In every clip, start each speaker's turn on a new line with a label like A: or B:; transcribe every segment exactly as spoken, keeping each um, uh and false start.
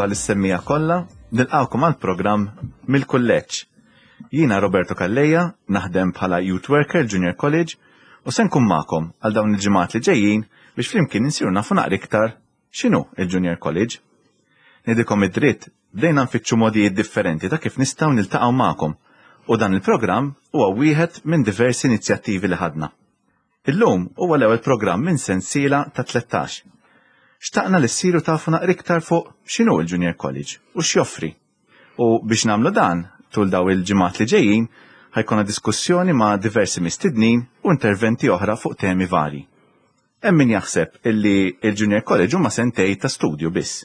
A: Merħba lis-semmiegħa kollha, nilqgħukom għal programm mill-kulleġġ. Jiena Roberto Calleja, naħdem bħala Youth Worker Junior College u se nkun magħkom għal dawn il-ġimgħat li ġejjin biex flimkien insiru nafu naqra iktar x'inhu il-Junior College. Ngħidilkom id-dritt, bdejna nfittxu modijiet differenti ta' kif nistgħu niltaqgħu magħkom u dan il-programm huwa wieħed minn diversi inizjattivi li ħadna. Illum huwa l-ewwel programm minn sensiela ta' tlettax. Xtaqna li ssiru tafu naqra iktar fuq x'inhu l-Junior College u x'joffri. U biex nagħmlu dan, tul daw il-ġimgħat li ġejjin, ħa jkollna diskussjoni ma' diversi mistednin u interventi oħra fuq temi vari. Hemm min jaħseb illi il-Junior College huma sentejn ta' studju biss.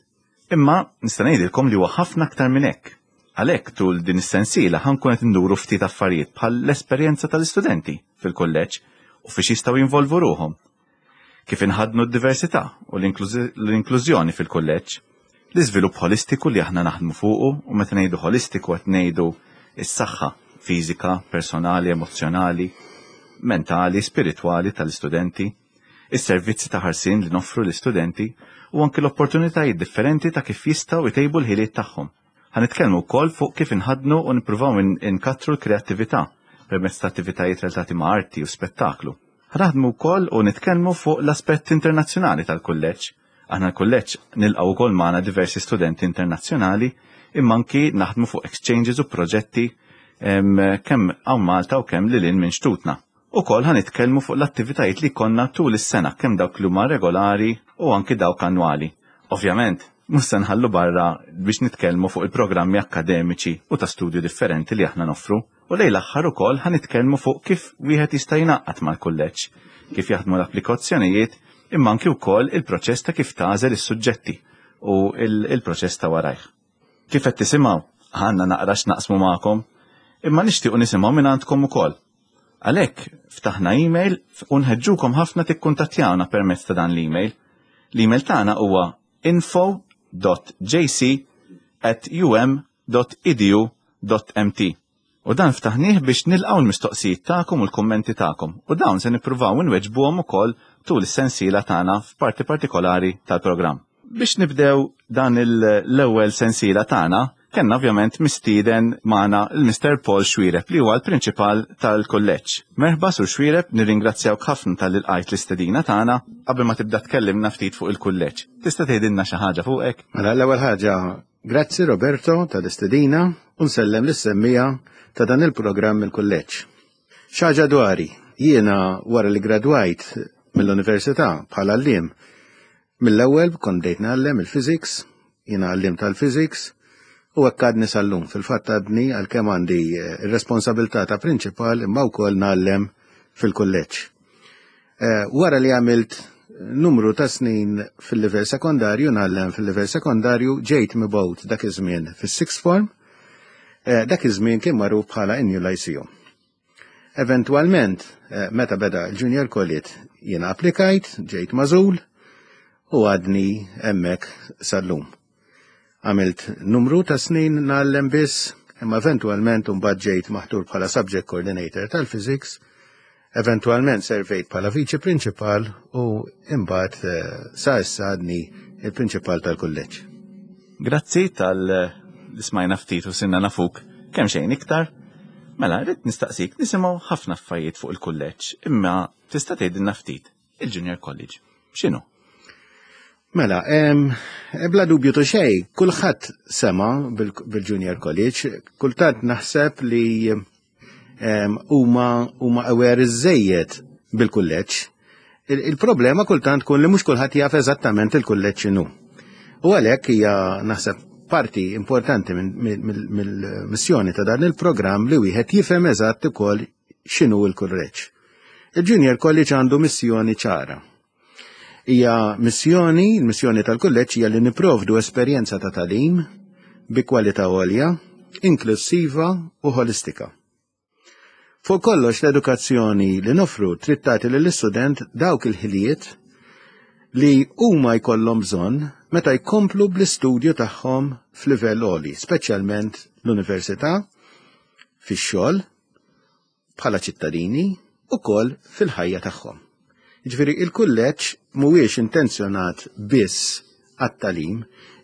A: Imma nista' ngħidilkom li huwa ħafna aktar minn hekk. Għalhekk tul din is-sensiela ħa nkun qed induru ftit affarijiet bħal l-esperjenza tal-istudenti fil-kulleġġ u fiex jistgħu jinvolvu ruħhom. Kif inħadnu d-diversità u l-inklużjoni fil-kulleġġ, l-iżvilupp holistiku li aħna naħdmu fuqu u meta ngħidu holistiku qed ngħidu s-saħħa fiżika, personali, emozzjonali, mentali, spiritwali tal-istudenti, is-servizzi ta' ħarsien li noffru l-istudenti u anki l-opportunitajiet differenti ta' kif jistgħu jtejbu l-ħiliet tagħhom. Ħa nitkellmu wkoll fuq kif inħadnu u nippruvaw inkattru l-kreattività permezz ta' attivitajiet relatati ma' arti u spettaklu. Ħa naħdmu wkoll u nitkellmu fuq l-aspett internazzjonali tal-kulleġġ. Aħna l-kulleġġ nilqgħu wkoll magħna diversi studenti internazzjonali imma anki naħdmu fuq exchanges u proġetti kemm hawn Malta u kemm lil hinn minn xtutna. Ukoll ħa nitkellmu fuq l-attivitajiet li jkollna tul is-sena kemm dawk li huma regolari u anki dawk annwali. Ovvjament, mhux se nħallu barra biex nitkellmu fuq il-programmi akkademiċi u ta' studju differenti li aħna noffru. U lejn l-aħħar ukoll ħa nitkellmu fuq kif wieħed jista' jingħaqad mal-kulleġġ, kif jaħdmu l-applikazzjonijiet, imma anki wkoll il-proċess ta' kif tagħżel is-suġġetti u il-proċess ta' warajh. Kif qed tisimgħu, għandna naqra x'naqsmu magħkom, imma nixtiequ nisimgħu minn għandkom ukoll. Għalhekk ftaħna email u nħeġġukom ħafna tikkuntattjawna permezz ta' dan l-email. L-email tagħna huwa info dot J C at um dot edu dot M T. U dan ftaħnieh biex nilqgħu l-mistoqsijiet tagħkom u l-kummenti tagħkom. U dawn se nippruvaw inweġbuhom ukoll tul is-sensiela tagħna f'parti partikolari tal-programm. Biex nibdew dan l-ewwel sensiela tagħna, kellna ovvjament mistieden magħna il-Mister Paul Xuereb li huwa l-prinċipal tal-kulleġġ. Merħba, Sur Xuereb, nirringrazzjawk ħafna talli lqajt l-istedina tagħna. Qabel ma tibda tkellimna ftit fuq il-kulleġġ, tista' tgħidilna xi ħaġa fuqek?
B: Mela, l-ewwel ħaġa, grazzi, Roberto, tal-istedina u nsellem lis-semmiegħa ta' dan il-programm il-kulleġġ. Xi ħaġa dwari, jiena wara li gradwajt mill-università bħala għalliem, mill-ewwel kont bdejt ngħallem il-physics, jiena għalliem tal-physics, u hekk għadni sal-lum. Fil-fatt għadni, għalkemm għandi eh, ir-responsabilità ta' prinċipal, imma wkoll ngħallem fil-kulleġġ. Eh, wara li għamilt numru ta' snin fil-livell sekondarju, ngħallem fil-livell sekondarju, ġejt mibgħut dak iż-żmien fis-sixth form, eh, dak iż-żmien kien magħruf bħala New Lyceum. Eventualment, meta beda l-Junior College, jiena applikajt, ġejt magħżul u għadni hemmhekk sal-lum. Għamilt numru ta' snin ngħallem biss, imma eventualment mbagħad ġejt maħtur bħala subject coordinator tal-physics, eventualment servejt bħala viċi prinċipal u imbagħad eh, sa issa għadni il-prinċipal tal-kulleġġ.
A: Grazzi talli smajna ftit u sirna nafuk kemm xejn iktar. Mela, rrid nistaqsik, nisimgħu ħafna affarijiet fuq il-kulleġġ, imma tista' tgħidilna ftit il-Junior College. X'inhu?
B: Mela, em, bla dubju ta' xejn, kulħadd sema bil-Junior College, kultant naħseb li huma huma aware iżejjed bil-kulleġġ. Il-problema kultant tkun li mhux kulħadd jaf eżattament il-kulleġġ x'inhu. U għalhekk hija, naħseb, parti importanti mill-missjoni ta' dan il-programm li wieħed jifhem eżatt ukoll x'inhu l-kulleġġ. Il-Junior College għandu missjoni ċara. Hija missjoni, il-missjoni tal-kulleġġ hija li niprovdu esperjenza ta' tagħlim bi kwalità għolja, inklusiva u holistika. Fuq kollox, l-edukazzjoni li nofru trid tagħti lill-istudent dawk il-ħiliet li huma jkollhom bżonn meta jkomplu bl-istudju tagħhom f'livell għoli, speċjalment l-università, fix-xogħol, bħala ċittadini, ukoll fil-ħajja tagħhom. Jiġifieri il-kulleġġ mhuwiex intenzjonat biss għat-tagħlim,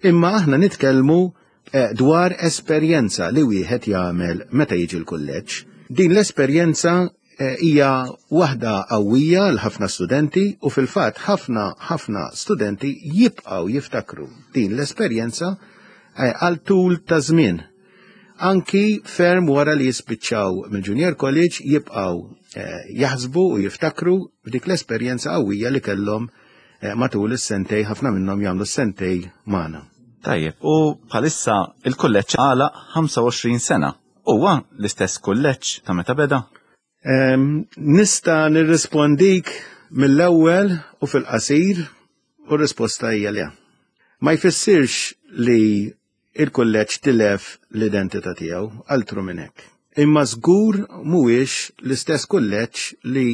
B: imma aħna nitkellmu eh, dwar esperjenza li wieħed jagħmel meta jiġi l-kulleġġ. Din l-esperjenza eh, hija waħda qawwija għal ħafna studenti u fil-fatt ħafna ħafna studenti jibqgħu jiftakru din l-esperjenza eh, għal tul ta' żmien. Anki ferm wara li jispiċċaw mill-Junior College jibqgħu eh, jaħsbu u jiftakru f'dik l-esperjenza qawwija li kellhom eh, matul is-sentejn, ħafna minnhom jagħmlu s-sentejn magħna.
A: Tajjeb, u bħalissa il-kulleġġ għalaq ħamsa u għoxrin sena. Huwa l-istess kulleġġ ta' meta beda?
B: Em, Nista' nirrispondik mill-ewwel u fil-qasir u r-risposta hija le. Ma jfissirx li il-kulleġġ tilef l-identità tiegħu, altru minn hekk. Imma żgur mhuwiex l-istess kulleġġ li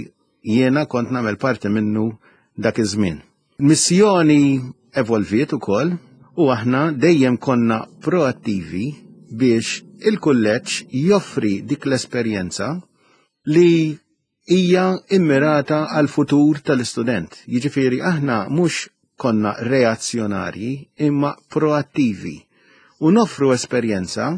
B: jiena kont nagħmel parti minnu dak iż-żmien. Missjoni evolviet ukoll u aħna dejjem konna proattivi biex il-kulleġġ joffri dik l-esperjenza li hija immirata għal futur tal-istudent. Jiġifieri aħna mhux konna reazzjonarji imma proattivi u noffru esperjenza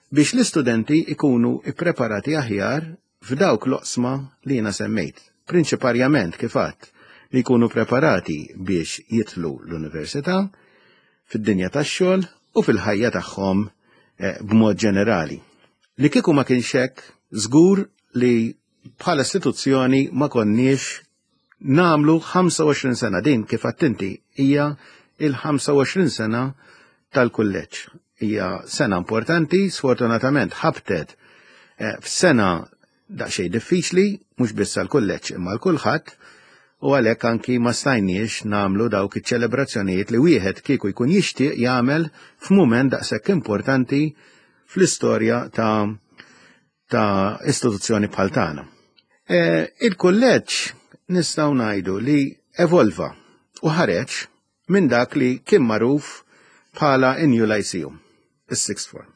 B: biex l-istudenti ikunu ippreparati aħjar f'dawk l-oqsma li jiena semmejt. Prinċiparjament kif għedt, li jkunu preparati biex jidħlu l-università, fid-dinja tax-xogħol u fil-ħajja tagħhom eh, b'mod ġenerali. Li kieku ma kienx hekk, żgur li bħala istituzzjoni ma konniex nagħmlu ħamsa u għoxrin sena. Din kif għedt inti hija il-ħamsa u għoxrin sena tal-kulleġġ. Hija sena importanti, sfortunatament ħabtet eh, f'sena daqsxejn diffiċli, mhux biss għall-kulleġġ imma għal kulħadd, u għalhekk anki ma stajniex nagħmlu dawk iċ-ċelebrazzjonijiet li wieħed kieku jkun jixtieq jagħmel f'mument daqshekk importanti fl-istorja ta' ta' istituzzjoni bħal tagħna. E, Il-kulleġġ nistgħu ngħidu li evolva u ħareġ minn dak li kien magħruf bħala New Lyceum, is-sixth form.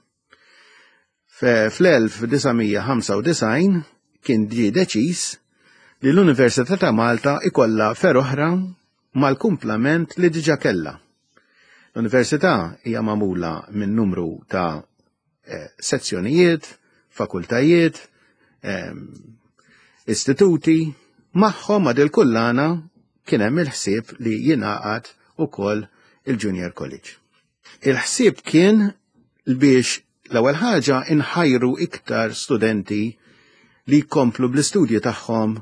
B: Fl-elf disa' mija ħamsa u disgħin kien ġie deċiż li l-Università ta' Malta ikolla fergħa oħra mal-kumplament li diġà kellha. L-Università hija magħmula minn numru ta' eh, sezzjonijiet, fakultajiet, eh, istituti, magħhom ma' dil-kullana kien hemm il-ħsieb li jingħaqad ukoll il-Junior College. Il-ħsieb kien biex l-ewwel ħaġa inħajru iktar studenti li jkomplu bl-istudji tagħhom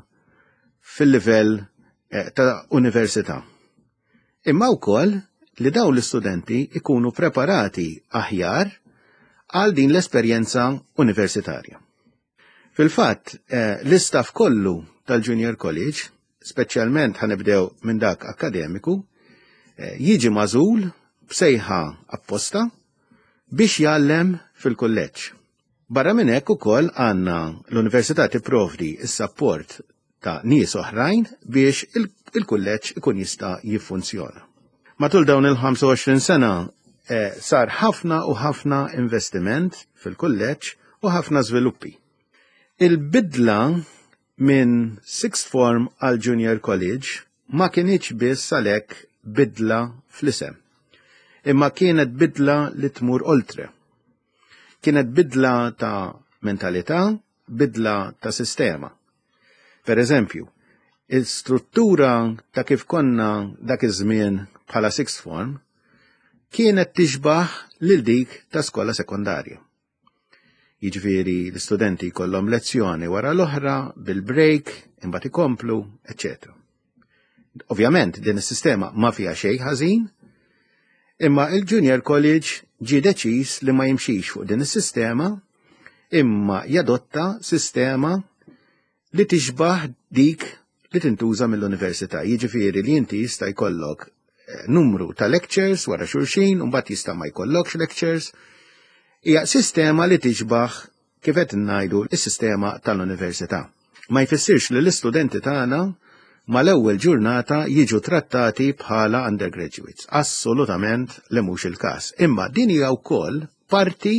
B: fil-livell eh, ta' università. Imma wkoll li dawn l-istudenti ikunu preparati aħjar għal din l-esperjenza universitarja. Fil-fatt, eh, l-istaff kollu tal-Junior College, speċjalment ħa nibdew minn dak akademiku, eh, jiġi magħżul b'sejħa apposta biex jgħallem fil-kulleġġ. Barra minn hekk ukoll għandna l-Università tipprovdi s-sapport ta' nies oħrajn biex il-kulleġġ ikun jista' jiffunzjona. Matul dawn il-ħamsa u għoxrin sena eh, sar ħafna u ħafna investiment fil-kulleġġ u ħafna żviluppi. Il-bidla minn sixth form għal Junior College ma kinitx biss għalhekk bidla fl-isem, imma kienet bidla li tmur oltre. Kienet bidla ta' mentalità, bidla ta' sistema. Per eżempju, il-struttura ta' kif konna dak iż-żmien bħala sixth form kienet tixbaħ lil dik ta' skola sekondarja. Jiġifieri l-istudenti jkollhom lezzjoni wara l-oħra bil-break, imbagħad ikomplu, eċċetera. Ovvjament din is-sistema ma fiha xejn ħażin, imma il-Junior College ġie deċiż li ma jimxix fuq din is-sistema, imma jadotta sistema li tixbaħ dik li tintuża mill-università. Jiġifieri li inti jista' jkollok eh, numru ta' lectures wara xulxin, u mbagħad jista' ma jkollokx lectures. Hija sistema li tixbaħ, kif qed ngħidu, is-sistema tal-università. Ma jfissirx li l-istudenti tagħna mal-ewwel ġurnata jiġu trattati bħala undergraduates. Assolutament li mhux il-każ. Imma din hija wkoll parti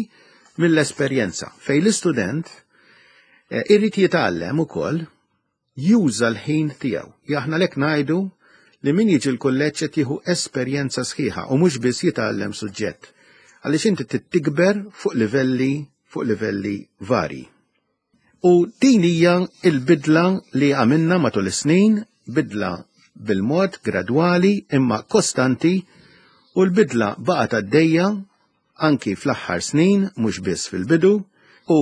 B: mill-esperjenza fejn l-istudent eh, irrid jitgħallem ukoll juża l-ħin tiegħu. Aħna lek ngħidu li min jiġi l-kulleġġ qed jieħu esperjenza sħiħa u mhux biss jitgħallem suġġett. Għaliex inti tikber fuq livelli fuq livelli vari. U din hija l-bidla li għamilna matul is-snin, bidla bil-mod gradwali imma kostanti, u l-bidla baqgħet għaddejja anki fl-aħħar snin, mhux biss fil-bidu, u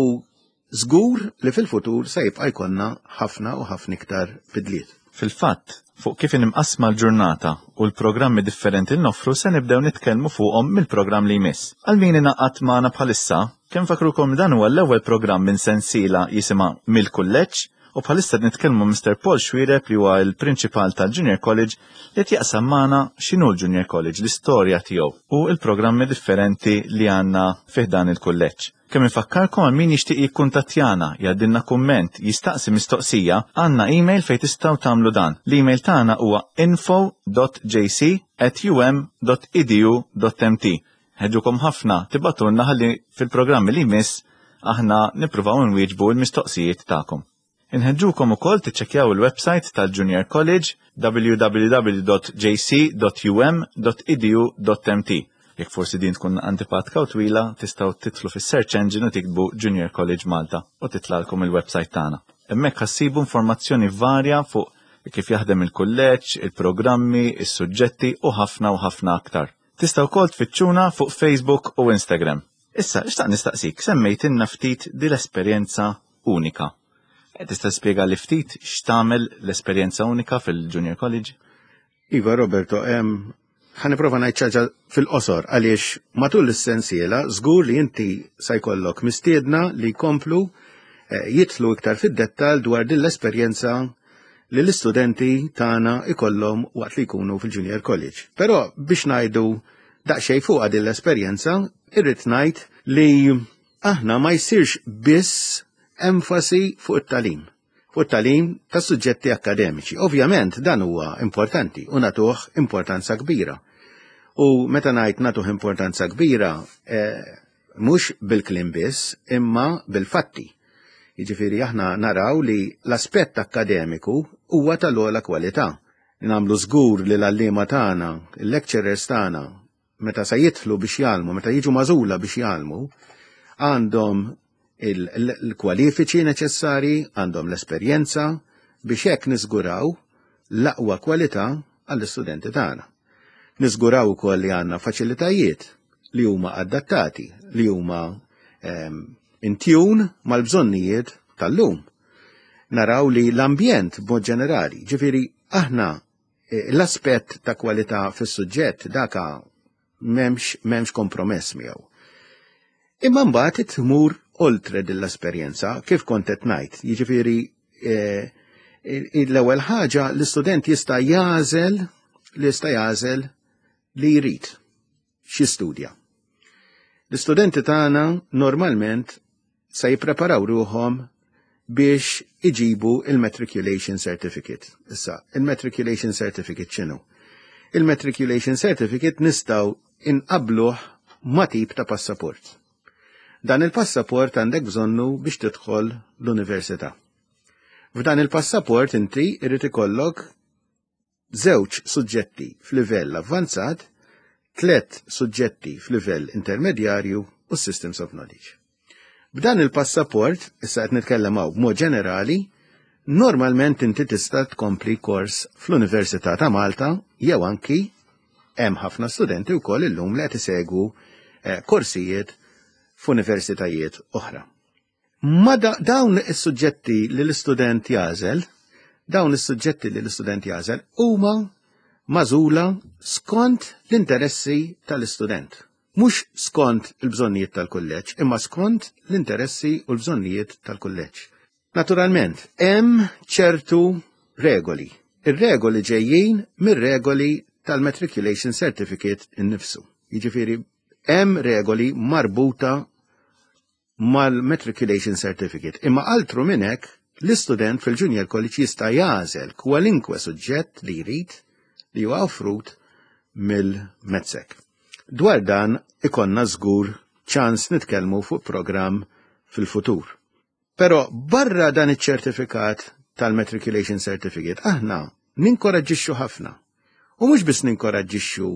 B: żgur li fil-futur se jibqa' jkollna ħafna u ħafna iktar bidliet.
A: Fil-fatt, fuq kif imqassma l-ġurnata u l-programmi differenti li noffru se nibdew nitkellmu fuqhom mill-programm li jmiss. Għal min ingħaqad magħna bħalissa, kemm fakrukom dan huwa l-ewwel programm minn sensiela jisimha Mill-Kulleġġ, u bħalissa nitkellmu Mister Paul Xuereb li huwa l-prinċipal tal-Junior College li qed jaqsam magħna x'inhu l-Junior College, l-istorja tiegħu u l-programmi differenti li għandna fih dan il-kulleġġ. Kemm infakkarkom għal min jixtieq jikkuntattjana, jgħaddilna kumment, jistaqsi mistoqsija, għandna email fejn tistgħu tagħmlu dan. L-email tagħna huwa info dot j c at u m dot e d u dot m t. Ħeġġukom ħafna tibatulna ħalli fil-programmi li jmiss aħna nippruvaw nwieġbu l-mistoqsijiet tagħkom. Inħeġġukom ukoll tiċċekkjaw il-website tal-Junior College w w w dot j c dot u m dot e d u dot m t. Jekk forsi din tkun antipatka u twila, tistgħu titlu fis-search engine u tiktbu Junior College Malta u titlalkom il-website tagħna. Hemmhekk ħassibu informazzjoni varja fuq kif jaħdem il-kulleġġ, il-programmi, is-suġġetti u ħafna u ħafna aktar. Tistgħu wkoll tfittxuna fuq Facebook u Instagram. Issa, xtaqt nistaqsik, semmejtilna ftit din l-esperjenza unika. E, tista' tispjega li ftit x'tagħmel l-esperjenza unika fil-Junior College?
B: Iva, Roberto, em, ħa nipprova ngħid xi ħaġa fil-qosor għaliex matul is-sensiela żgur li inti se jkollok mistiedna li jkomplu, eh, jidħlu iktar fid-dettall dwar din l-esperjenza li l-istudenti tagħna ikollhom waqt li jkunu fil-Junior College. Però biex ngħidu daqsxejn fuqha din l-esperjenza, irrid ngħid li aħna ma jsirx biss enfasi fuq it-tagħlim, fuq it-tagħlim ta' suġġetti akademiċi. Ovvjament dan huwa importanti u nagħtuh importanza kbira. U meta ngħid nagħtuh importanza kbira, eh, mhux bil-kliem biss, imma bil-fatti. Jiġifieri aħna naraw li l-aspett akkademiku huwa tal-ogħla kwalità. Nagħmlu żgur li l-għalliema tagħna, il-lecturers tagħna, meta se jidħlu biex jgħallmu, meta jiġu magħżula biex jgħallmu, għandhom il-, il-, il-kwalifiċi neċessari, għandhom l-esperjenza biex hekk niżguraw l-aqwa kwalità għall-istudenti tagħna. Niżguraw ukoll li għandna faċilitajiet li huma adattati, li huma, ehm, in tune mal-bżonnijiet tal-lum. Naraw li l-ambjent b'mod ġenerali, ġifieri aħna, eh, l-aspett ta' kwalità fis-suġġett daka m'hemmx, m'hemmx kompromess miegħu. Imma mbagħad tmur oltre din l-esperjenza, kif kont qed ngħid, jiġifieri, eh, l-ewwel ħaġa l-istudent jista' jagħżel li jista' jagħżel li jrid x'jistudja. L-istudenti tagħna normalment se jippreparaw ruħhom biex iġibu il-Matriculation Certificate. Issa, il-Matriculation Certificate x'inhu? Il-Matriculation Certificate nistgħu inqabluh ma' tip ta' passaport. Dan il-passaport għandek bżonnu biex tidħol l-università. F'dan il-passaport inti irid ikollok żewġ suġġetti f'livell avvanzat, tliet suġġetti f'livell intermedjarju u Systems of Knowledge. B'dan il-passaport, issa qed nitkellem hawn b'mod ġenerali, normalment inti tista' tkompli kors fl-Università ta' Malta jew anki hemm ħafna studenti wkoll illum li qed isegwu, eh, korsijiet f'universitajiet oħra. Ma da-, dawn is-suġġetti li l-istudent jagħżel, dawn is-suġġetti li l-istudent jagħżel huma magħżula skont l-interessi tal-istudent. Mhux skont il-bżonnijiet tal-kulleġġ, imma skont l-interessi u l-bżonnijiet tal-kulleġġ. Naturalment, hemm ċertu regoli. Ir-regoli ġejjin mir-regoli tal-Matriculation Certificate innifsu. Jiġifieri hemm regoli marbuta mal-Matriculation Certificate. Imma altru minn hekk, l-istudent fil-Junior College jista' jagħżel kwalinkwe suġġett li jrid li huwa offrut mill-MATSEC. Dwar dan ikonna żgur ċans nitkellmu fuq programm fil-futur. Però barra dan iċ-ċertifikat tal-Matriculation Certificate, aħna ninkoraġġixxu ħafna U mhux biss ninkoraġġixxu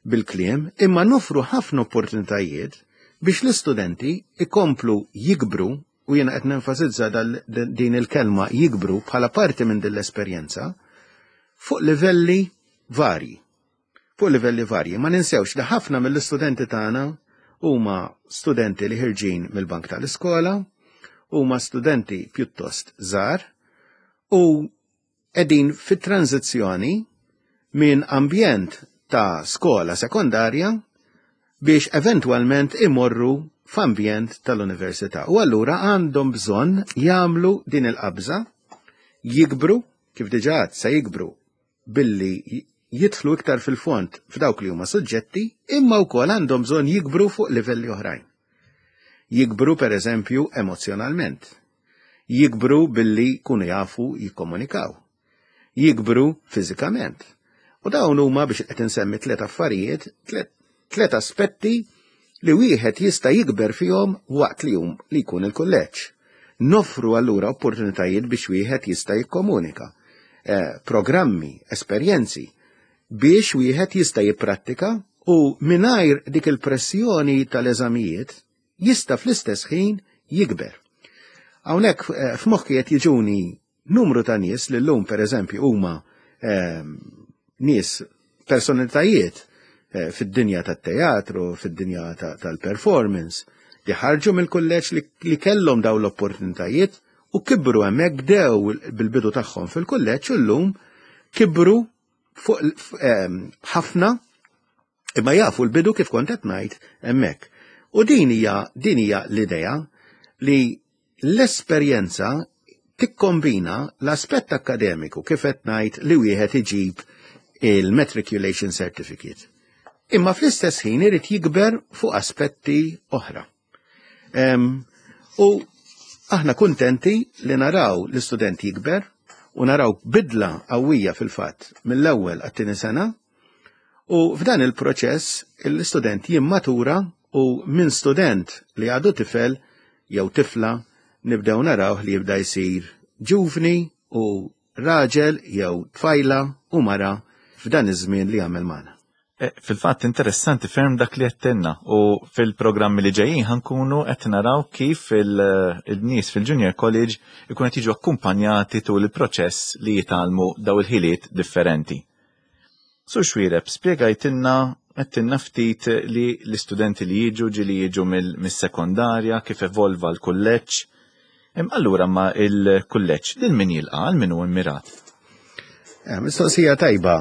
B: bil-kliem, imma nofru ħafna opportunitajiet biex l-istudenti ikomplu jikbru, u jiena qed nenfasizza din il-kelma jikbru bħala parti minn din l-esperjenza fuq livelli varji. Fuq livelli varji. Ma ninsewx li ħafna mill-istudenti tagħna huma studenti li ħirġin mill-bank tal-iskola, huma studenti pjuttost żgħar u qegħdin fit-tranzizzjoni minn ambjent ta' skola sekondarja biex eventwalment imorru f'ambjent tal-università. U allura għandhom bżonn jagħmlu din il-qabża, jikbru, kif diġà se jikbru billi jidħlu iktar fil-fond f'dawk li huma suġġetti, imma wkoll għandhom bżonn jikbru fuq livelli oħrajn. Jikbru per eżempju emozjonalment. Jikbru billi jkunu jafu jikkomunikaw. Jikbru fiżikament. U dawn huma, biex qed insemmi tliet affarijiet, tliet aspetti li wieħed jista' jikber fihom waqt li jum li jkun il-kulleġġ. Nofru allura opportunitajiet biex wieħed jista' jikkomunika. Eh, programmi, esperjenzi biex wieħed jista' jipprattika u mingħajr dik il-pressjoni tal-eżamijiet jista' fl-istess ħin jikber. Hawnhekk eh, f'moħħi qed jiġuni numru ta' nies li llum pereżempju huma eh, nies, personalitajiet eh, fid-dinja tat-teatru, fid-dinja tal-performance, li ħarġu mill-kulleġġ, li, li kellhom dawn l-opportunitajiet u kibru hemmhekk, bdew bil-bidu tagħhom fil-kulleġġ u llum kibru fuq ħafna, imma jafu l-bidu, kif kont qed ngħid, hemmhekk. U din hija din hija l-idea li l-esperjenza tikkombina l-aspett akademiku, kif qed ngħid, li wieħed iġib il-matriculation certificate. Imma fl-istess ħin irid jikber fuq aspetti oħra. Um, u aħna kuntenti li naraw l-istudent jikber u naraw bidla qawwija fil-fatt mill-ewwel għat-tieni sena, u f'dan il-proċess l-istudent jimmatura u minn student li għadu tifel jew tifla nibdew naraw li jibda jsir ġuvni u raġel jew tfajla u mara f'dan iż-żmien li għamel magħna.
A: Eh, fil-fatt interessanti ferm dak li għedtilna u fil-programmi li ġejjin ħa nkunu qed naraw kif il-nies fil-Junior College ikun qed jiġu akkumpanjati tul il-proċess li jitgħallmu daw il-ħiliet differenti. Sur Xuereb, spjegajtilna, għedtilna ftit li l-istudenti li jiġu ġieli jiġu mill-sekondarja, kif evolva l-kulleġġ. Allura ma il-kulleġġ lil min jilqa', għal min hu immirat?
B: Eh, mistoqsija tajba.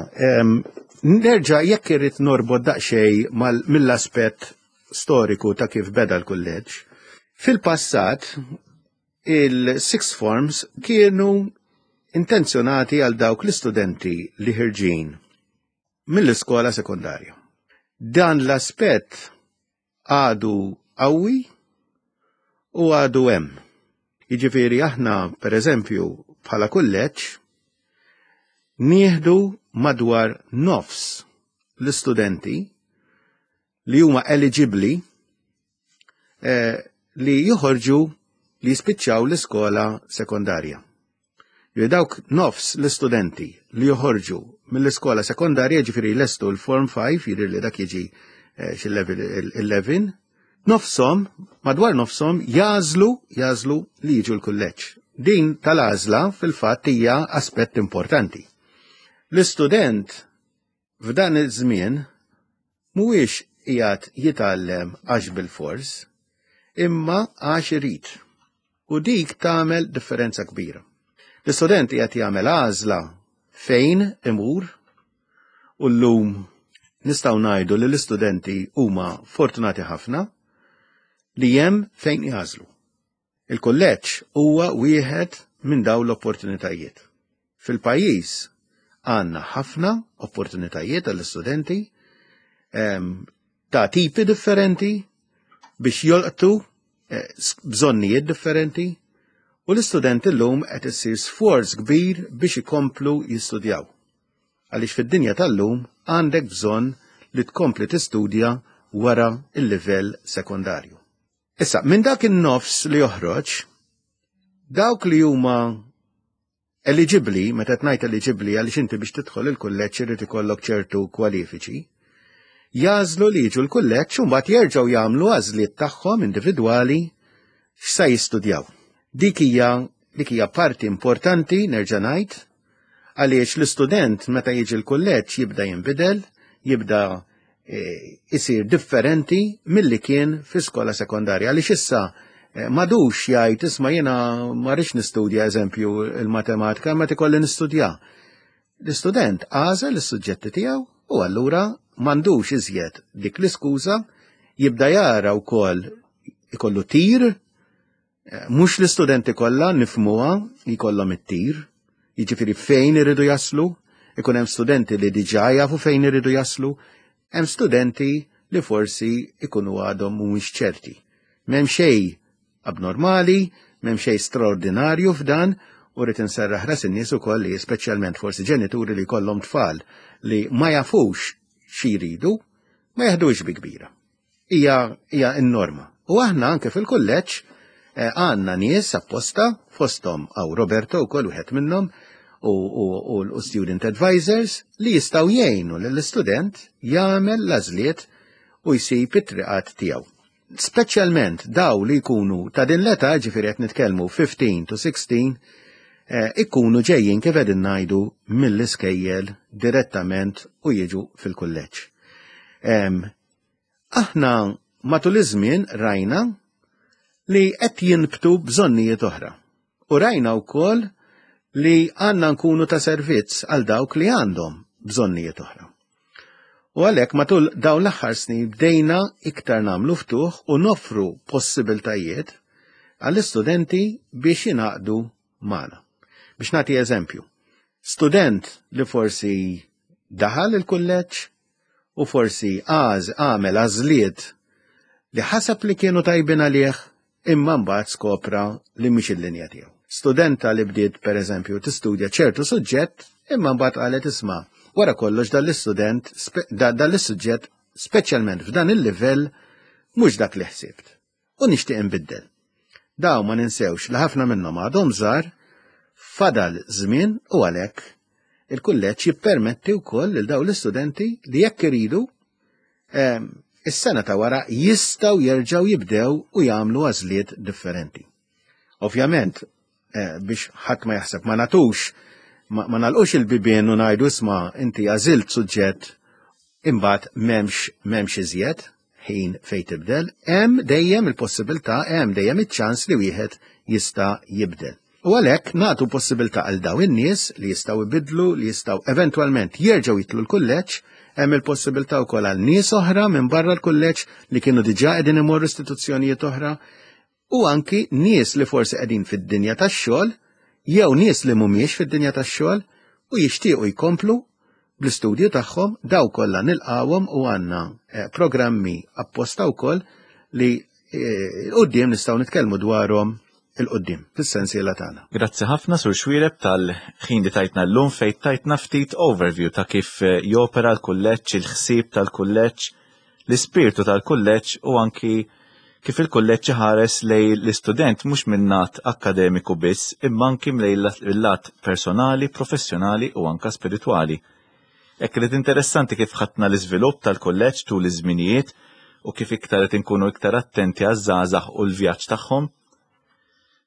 B: Nerġa' jekk irrid norbot daqsxejn mill-aspett storiku ta' kif beda l-kulleġġ. Fil-passat, il-sixth forms kienu intenzjonati għal dawk l-istudenti li ħirġin mill-iskola sekondarja. Dan l-aspett għadu qawwi u għadu hemm. Jiġifieri aħna, per eżempju, bħala kulleġġ nieħdu madwar nofs l-istudenti li huma eligibli eh, li joħorġu, li jispiċċaw l-iskola sekondarja. Li dawk nofs l-istudenti li joħorġu mill-iskola sekondarja, ġifieri lestu l-Form five, jidir li dak jiġi eh, xi level eleven, nofsom, madwar nofsom jagħżlu jagħżlu li jiġu l-kulleġġ. Din tal-għażla fil-fatt hija aspett importanti. L-istudent f'dan iż-żmien mhuwiex qiegħed jitgħallem għax bil-fors, imma għax irid. U dik tagħmel differenza kbira. L-istudent qiegħed jagħmel għażla fejn imur u llum nistgħu ngħidu li l-istudenti huma fortunati ħafna li hemm fejn jagħżlu. Il-kulleġġ huwa wieħed minn dawn l-opportunitajiet. Fil-pajjiż għandna ħafna opportunitajiet għall-istudenti ta' tipi differenti biex jolqtu eh, bżonnijiet differenti u l-istudenti llum qed issir sforz kbir biex ikomplu jistudjaw. Għaliex fid-dinja tal-lum għandek bżonn li tkompli tistudja wara il-livell sekondarju. Issa, minn dak in-nofs li joħroġ, dawk li huma Eligibli, meta tgħid eligibli għaliex inti biex tidħol il-kulleġġ irid ikollok ċertu kwalifiċi, jagħżlu li jiġu l-kulleġġ u mbagħad jerġgħu jagħmlu għażliet tagħhom individwali x'sa jistudjaw. Dik hija dik hija parti importanti, nerġa' ngħid, għaliex l-istudent meta jiġi l-kulleġġ jibda jinbidel, jibda isir differenti milli kien fi skola sekondarja. Għaliex issa m'għadux jgħid, "Isma', jiena ma rridx nistudja, eżempju, il-matematika, ma ikolli nistudja." L-istudent għażel is-suġġetti tiegħu u allura m'għandux iżjed dik l-iskuża. Jibda jara wkoll ikollu tir, mhux l-istudenti kollha nifhmuha jkollhom it-tir, jiġifieri fejn iridu jaslu. Ikun hemm studenti li diġà jafu fejn iridu jaslu, hemm studenti li forsi ikunu għadhom mhumiex ċerti. M'hemm xejn abnormali, m'hemm xejn straordinarju f'dan, u rrid inserraħ ras in-nies ukoll li speċjalment forsi ġenituri li jkollhom tfal li ma jafux xi jridu, ma jaħdux bi kbira. Hija hija n-norma. U aħna anke fil-kulleġġ eh, għandna nies apposta, fosthom hawn Roberto wkoll wieħed minnhom u, u, u, u student advisors li jistgħu jgħinu lill-istudent jagħmel l-għażliet u jsib it-triqat tiegħu. Speċjalment daw li jkunu ta' din l-età, ġifieri qed nitkellmu fifteen to sixteen, eh, ikunu ġejjin, kif qegħdin ngħidu, mill-iskejjel direttament u jiġu fil-kulleġġ. Aħna matul iż-żmien rajna li qed jinbtu bżonnijiet oħra. U rajna wkoll li għandna nkunu ta' servizz għal dawk li għandhom bżonnijiet oħra. U għalhekk matul dawn l-aħħar snin bdejna iktar nagħmlu ftuħ u noffru possibiltajiet għall-istudenti biex jingħaqdu magħna. Biex nagħti eżempju, student li forsi daħal il-kulleġġ u forsi għaż għamel għażliet li ħaseb li kienu tajbin għalih, imma mbagħad skopra li mhix il-linja tiegħu. Studenta li bdiet, pereżempju, tistudja ċertu suġġett, imma mbagħad qalet, "Isma', wara kollox dal-istudent dal-suġġett, speċjalment f'dan il-livell, mhux dak li ħsibt. U nixtieq inbiddel." Daw ma ninsewx li ħafna minnhom għadhom żgħar, fadal żmien, u għalhekk il-kulleġġ jippermetti wkoll lil dawn l-istudenti li jekk iridu, is-sena ta' wara jistgħu jerġgħu jibdew u jagħmlu għażliet differenti. Ovvjament, eh, biex ħadd ma jaħseb ma nagħtux ma, ma nagħlqux il-bibien u ngħidu, "Isma', inti għażilt suġġett, imbagħad m'hemmx m'hemmx iżjed ħin fejn tibdel." Hemm dejjem il-possibilità, hemm dejjem iċ-ċans li wieħed jista' jibdel. U għalhekk nagħtu possibilità għal daw in-nies li jistgħu jbidlu, li jistgħu eventwalment jerġgħu jitilgħu l-kulleġġ. Hemm il-possibilità wkoll għal nies oħra minn barra l-kulleġġ li kienu diġà qegħdin imorru istituzzjonijiet oħra u anki nies li forsi qegħdin fid-dinja tax-xogħol jew nies li mhumiex fid-dinja tax-xogħol u jixtiequ jkomplu bl-istudju tagħhom. Daw kollha nilqawhom u għandna eh, programmi apposta wkoll li eh, quddiem nistgħu nitkellmu dwarhom 'il quddiem fis-sensiela tagħna.
A: Grazzi ħafna, Sur Xuereb, tal-ħin li tajtna llum fejn tajtna ftit overview ta' kif eh, jopera l-kulleġġ, il-ħsieb tal-kulleġġ, l-ispirtu tal-kulleġġ u anki kif il-kulleġġ ħares lejn l-istudent mhux minn lat akkademiku biss, imma anki lejn il-lat personali, professjonali u anka spiritwali. Hekk li interessanti kif ħadna l-iżvilupp tal-kulleġġ tul iż-żminijiet u kif iktar qed inkunu iktar attenti għaż-żgħażagħ u l-vjaġġ tagħhom.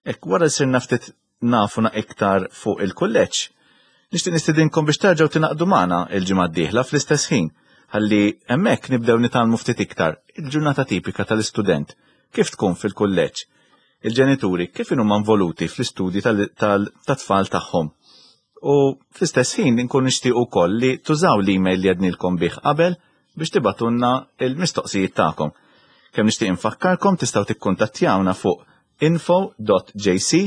A: Hekk wara li sirna ftit nafu iktar fuq il-kulleġġ, nixtieq nistedinkom biex terġgħu tingħaqdu magħna il-ġimgħa d-dieħla fl-istess ħin, ħalli hemmhekk nibdew nitgħallmu ftit iktar il-ġurnata tipika tal-istudent, kif tkun fil-kulleġġ, il-ġenituri kif inhuma involuti fl-istudji tat-tfal tagħhom. U fl-istess ħin inkun nixtieq ukoll li tużaw l-email li għednilkom bih qabel biex tibagħtulna il-mistoqsijiet tagħkom. Kemm nixtieq infakkarkom, tistgħu tikkuntattjawna fuq info dot J C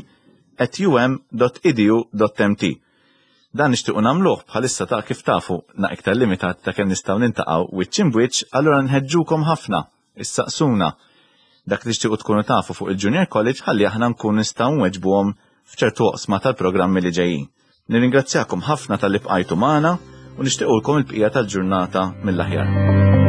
A: at U M dot edu dot M T. Dan nixtiequ nagħmluh bħalissa ta' kif tafu na iktar limitat ta' kemm nistgħu niltaqgħu wiċċ imbwiċċ, allura nħeġġukom ħafna issaqsuna dak li tixtiequ tkunu tafu fuq il-Junior College ħalli aħna nkun nistgħu nweġbuhom f'ċertu oqsma tal-programmi li ġejjin. Nirringrazzjakom ħafna talli bqajtu magħna u nixtiequlkom il-bqija tal-ġurnata mill-aħjar.